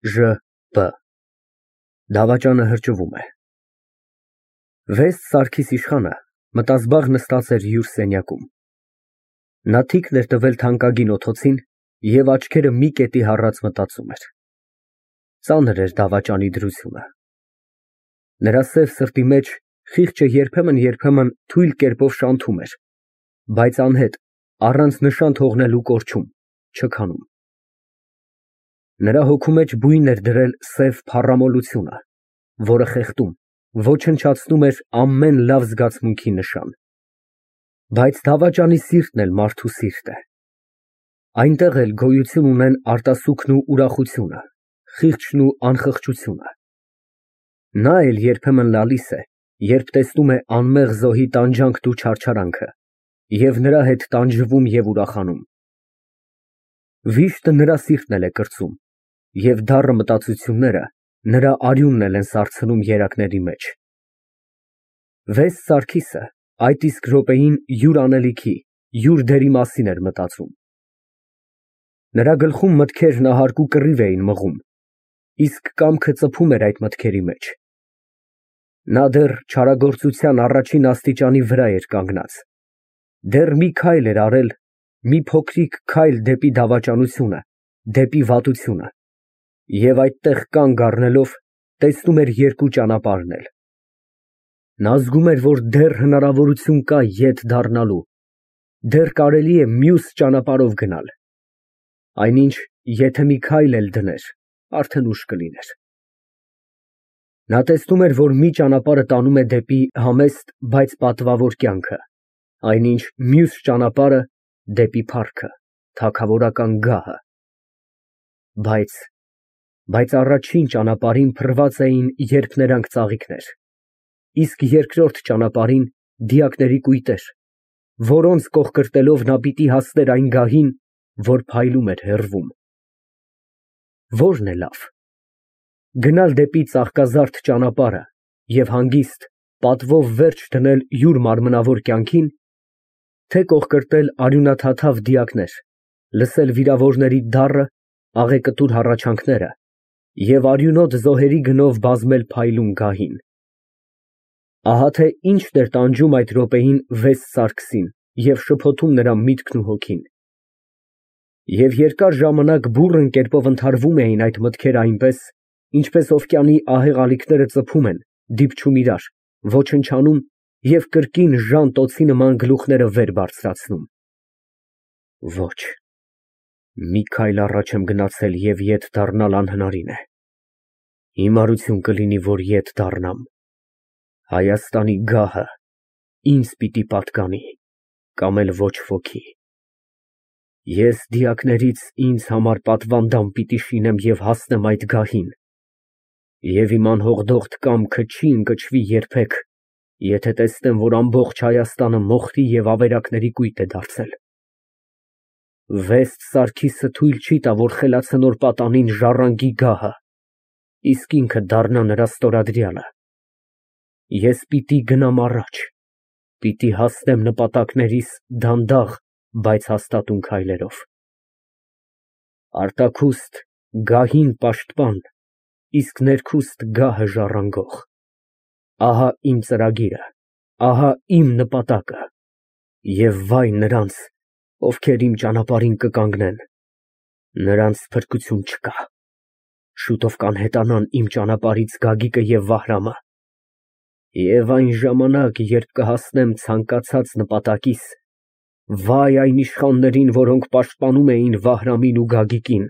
Ժ. Դավաճանը հրճվում է։ Վեստ Սարգիս իշխանը մտազբաղ նստած էր յուր սենյակում։ Նա թիկն էր տվել թանկագին օդոցին և աչքերը մի կետի հառած մտածում էր։ Ծանր էր դավաճանի դրությունը։ Նրա սև սրտի մեջ խիղճը երբեմն թույլ կերպով շանթում էր, բայց անհետ, առանց նշան թողնելու կորչում, չքանում։ Նրա հոգու մեջ բույն էր դրել սև փառամոլությունը, որը խեղդում, ոչնչացնում էր ամեն լավ զգացմունքի նշան։ Բայց դավաճանի սիրտն էլ մարդու սիրտ է։ Այնտեղ էլ գոյություն ունեն արտասուքն ու ուրախությունը, խիղճն ու անխղճությունը։ Նա էլ երբեմն լալիս է, երբ տեսնում է անմեղ զոհի տանջանքն ու չարչարանքը, և նրա հետ տանջվում և ուրախանում։ Վիշտը նրա սիրտն էլ է կրծում, և դառը մտածությունները նրա արյունն էլ են սառցնում երակների մեջ։ Վեստ Սարգիսը այդ իսկ րոպեին յուր անելիքի, յուր դերի մասին էր մտածում։ Նրա գլխում մտքերն ահարկու կռիվ էին մղում, իսկ կամքը ծփում էր այդ մտքերի մեջ։ Նա դեռ չարագործության առաջին աստիճանի վրա էր կանգնած, դեռ մի քայլ էր արել, մի փոքրիկ քայլ դեպի դավաճանությունը, դեպի վատությունը, և այդտեղ կանգ առնելով, տեսնում էր երկու ճանապարհն էլ։ Նա զգում էր, որ դեռ հնարավորություն կա ետ դառնալու, դեռ կարելի է մյուս ճանապարհով գնալ, այնինչ, եթե մի քայլ էլ դներ, արդեն ուշ կլիներ։ Նա տեսնում էր, որ մի ճանապարհը տանում է դեպի համեստ, բայց պատվավոր կյանքը, այնինչ մյուս ճանապարհը դեպի փառքը, թագավորական գահը։ Բայց առաջին ճանապարհին փռված էին երփներանգ ծաղիկներ, իսկ երկրորդ ճանապարհին դիակների կույտեր, որոնց կողկրտելով նա պիտի հասներ այն գահին, որ փայլում էր հեռվում։ Ո՞րն է լավ։ Գնալ դեպի ծաղկազարդ ճանապարհը և հանգիստ, պատվով վերջ դնել յուր մարմնավոր կյանքին, թե կողկրտել արյունաթաթավ դիակներ, լսել վիրավորների դառը, աղեկտուր հառաչանքները և արյունոտ զոհերի գնով բազմել փայլուն գահին։ Ահա թե ինչն էր տանջում այդ րոպեին Վեստ Սարգսին և շփոթում նրա միտքն ու հոգին։ Եվ երկար ժամանակ բուռն կերպով ընդհարվում էին այդ մտքերը այնպես, ինչպես օվկիանի ահեղ ալիքները ծփում են, դիպչում իրար, ոչնչանում և կրկին ժան տոցի նման գլուխները վեր բարձրացնում։ Ոչ, մի քայլ առաջ եմ գնացել և ետ դառնալ անհնարին է։ Հիմարություն կլինի, որ ետ դառնամ։ Հայաստանի գահը ինձ պիտի պատկանի, կամ էլ ոչ ոքի։ Ես դիակներից ինձ համար պատվանդան պիտի շինեմ և հասնեմ այդ գահին, և իմ անհողդողդ կամքը չի ընկճվի երբեք, եթե տեսնեմ, որ ամբողջ Հայաստանը մոխրի և ավերակների կույտ է դարձել։ Վեստ Սարգիսը թույլ չի տա, որ խելացնոր պատանին ժառանգի գահը, իսկ ինքը դառնա նրա ստորադրյալը։ Ես պիտի գնամ առաջ, պիտի հասնեմ նպատակներիս դանդաղ, բայց հաստատուն քայլերով։ Արտաքուստ գահին պաշտպան, իսկ ներքուստ գահը ժառանգող։ Ահա իմ ծրագիրը, ահա իմ նպատակը, և վայ նրանց, ովքեր իմ ճանապարհին կկանգնեն, նրանց փրկություն չկա։ Շուտով կանհետանան իմ ճանապարհից Գագիկը և Վահրամը, և այն ժամանակ, երբ կհասնեմ ցանկացած նպատակիս, վայ այն իշխաններին, որոնք պաշտպանում էին Վահրամին ու Գագիկին։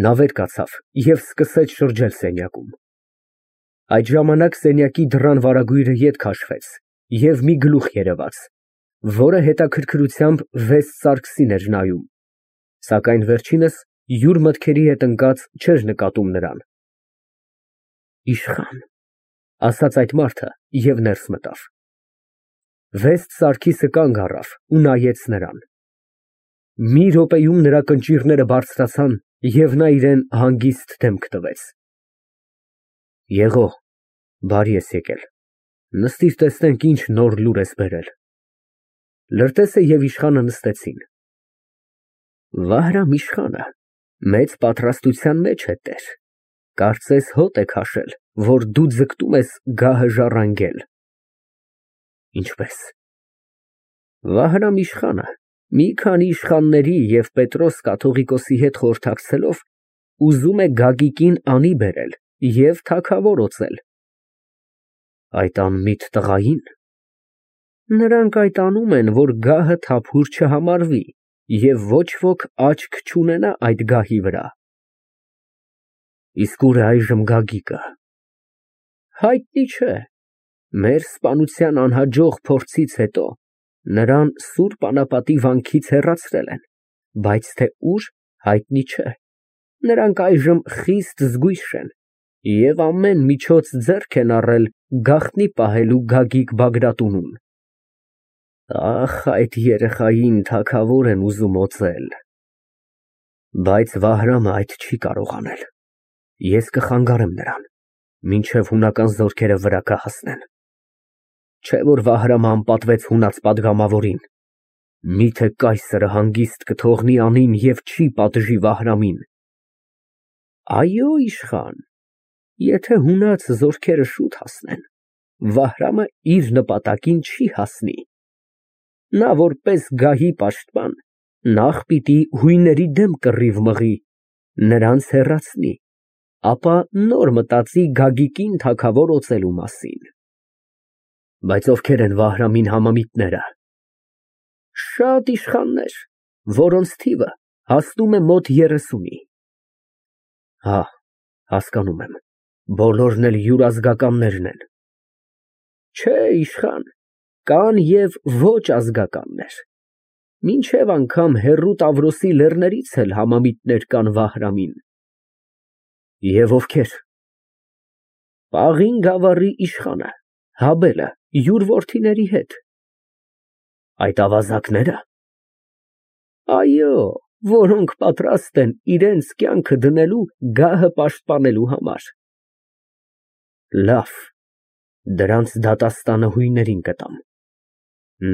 Նա վեր կացավ և սկսեց շրջել սենյակում։ Այդ ժամանակ սենյակի դռան վարագույրը ետ քաշվեց, և մի գլուխ երևաց, որը հետաքրքրությամբ Վեստ Սարգսին էր նայում, սակայն վերջինս յուր մտքերի հետ ընկած չէր նկատում նրան։ Իշխան, ասաց այդ մարդը և ներս մտավ։ Վեստ Սարգիսը կանգ առավ ու նայեց նրան։ Մի րոպեում նրա կնճիռները բարձրացան, և նա իրան հանգիստ դեմք տվեց։ Եղո, բարի ես եկել, նստիր տեսնենք ինչ նոր լուր ես բերել։ Լրտեսը և իշխանը նստեցին։ Վահրամ իշխանը Մեծ պատրաստության մեջ է տեր։ Կարծես հոտ է քաշել, որ դու ձգտում ես գահը ժառանգել։ Ինչպես։ Վահրամ իշխանը մի քանի իշխանների և Պետրոս կաթողիկոսի հետ խորհրդակցելով ուզում է Գագիկին անի բերել և թագավոր օծել։ Այդ անմիտ տղային։ Նրանք այդ անում են, որ գահը թափուր չհամարվի և ոչ ոք աչք չունենա այդ գահի վրա։ Իսկ ուր է այժմ Գագիկը։ Հայտնի չէ։ Մեր սպանության անհաջող փորձից հետո նրան Սուրբ Անապատի վանքից հեռացրել են, բայց թե ուր, հայտնի չէ։ Նրանք այժմ խիստ զգույշ են և ամեն միջոց ձեռք են առել գաղտնի պահելու Գագիկ Բագրատունուն։ Ախ, այդ երեխային թագավոր են ուզում օծել։ Բայց Վահրամը այդ չի կարող անել։ Ես կխանգարեմ նրան, մինչև հունական զորքերը վրա կհասնեն։ Չէ որ Վահրամը անպատվեց հունած պատգամավորին։ Միթե կայսրը հանգիստ կթողնի անին և չի պատժի Վահրամին։ Այո, իշխան, եթե հունած զորքերը շուտ հասնեն, Վահրամը իր նպատակին չի հասնի։ Նա որպես գահի պաշտպան նախ պիտի հույների դեմ կռիվ մղի, նրանց հեռացնի, ապա նոր մտածի Գագիկին թագավոր օծելու մասին։ Բայց ովքեր են Վահրամին համամիտները։ Շատ իշխաններ, որոնց թիվը հասնում է մոտ 30-ի։ Հա, հասկանում եմ, բոլորն էլ հյուրազգականներն են։ Չէ, իշխան, կան և ոչ ազգականներ։ Մինչև անգամ հեռու Տավրոսի լեռներից էլ համամիտներ կան Վահրամին։ Եվ ովքեր։ Պաղին գավառի իշխանը, Հաբելը, յուր որդիների հետ։ Այդ ավազակնե՞րը։ Այո, որոնք պատրաստ են իրենց կյանքը դնելու գահը պաշտպանելու համար։ Լավ, դրանց դատաստանը հույներին կտամ։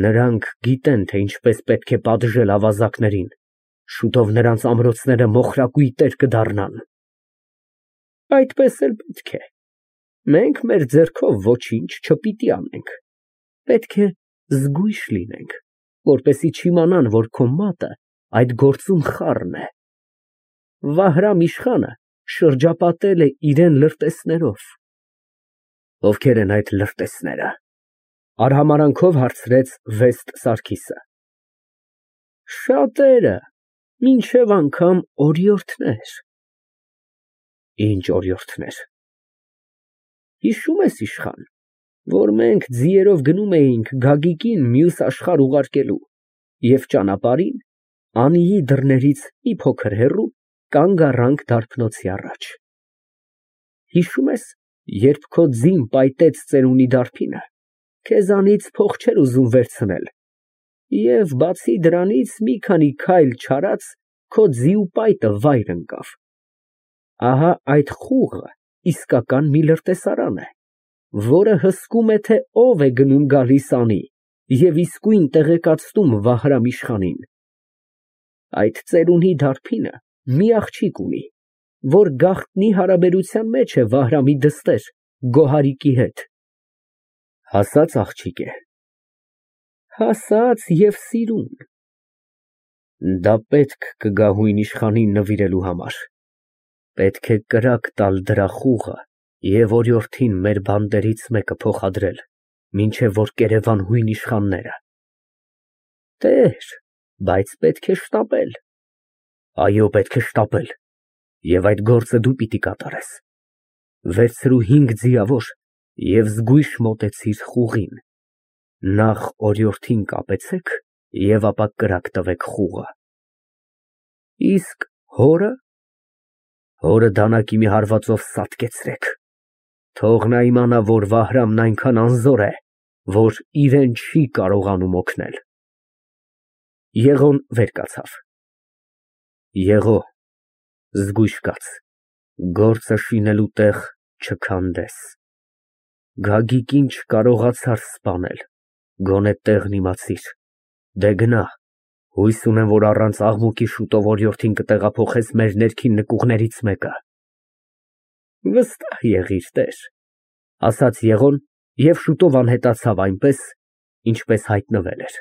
Նրանք գիտեն, թե ինչպես պետք է պատժել ավազակներին, շուտով նրանց ամրոցները մոխրակույտեր կդառնան։ Այդպես էլ պետք է։ Մենք մեր ձեռքով ոչինչ չպիտի անենք։ Պետք է զգույշ լինենք, որպեսզի չիմանան, որ քո մատը այդ գործում խառն է։ Վահրամ իշխանը շրջապատել է իրան լրտեսներով։ Ովքեր են այդ լրտեսները։ Արհամարանքով հարցրեց Վեստ Սարգիսը։ Շատերը, մինչև անգամ օրիորդներ։ Ինչ օրիորդներ։ Հիշում ես, իշխան, որ մենք ձիերով գնում էինք Գագիկին մյուս աշխարհ ուղարկելու և ճանապարհին Անիի դռներից մի փոքր հեռու կանգ առանք դարբնոցի առաջ։ Հիշում ես, երբ քո ձին պայտեց ծերունի դարբինը, քեզանից փող չէր ուզում վերցնել, և բացի դրանից մի քանի քայլ չարած քո ձի ու պայտը վայր ընկավ։ Ահա այդ խուղը իսկական մի լրտեսարան է, որը հսկում է, թե ով է գնում գալիս անի և իսկույն տեղեկացնում Վահրամ իշխանին։ Այդ ծերունի դարբինը մի աղջիկ ունի, որ գաղտնի հարաբերության մեջ է Վահրամի դստեր Գոհարիկի հետ։ Հասած աղջիկ է։ Հասած և սիրուն։ Դա պետք կգա հույն իշխանին նվիրելու համար։ Պետք է կրակ տալ դրա խուղը և օրիորդին մեր բանտերից մեկը փոխադրել, մինչև որ կերևան հույն իշխանները։ Տեր, բայց պետք է շտապել։ Այո, պետք է շտապել, և այդ գործը դու պիտի կատարես։ Վերցրու 5 ձիավոր և զգույշ մոտեցիր խուղին։ Նախ օրիորդին կապեցեք և ապա կրակ տվեք խուղը։ Իսկ հորը։ Հորը դանակի մի հարվածով սատկեցրեք։ Թող նա իմանա, որ Վահրամն այնքան անզոր է, որ իրան չի կարողանում օգնել։ Եղոն վեր կացավ։ Եղո, զգույշ կաց, գործը շինելու տեղ չքանդես։ Գագիկին չկարողացար սպանել, գոնե տեղն իմացիր։ Դե գնա, Հույս ունեմ, որ առանց աղմուկի շուտով օրիորդին կտեղափոխես մեր ներքին նկուղներից մեկը։ Վստահ եղիր, տեր, ասաց Եղոն և շուտով անհետացավ այնպես, ինչպես հայտնվել էր։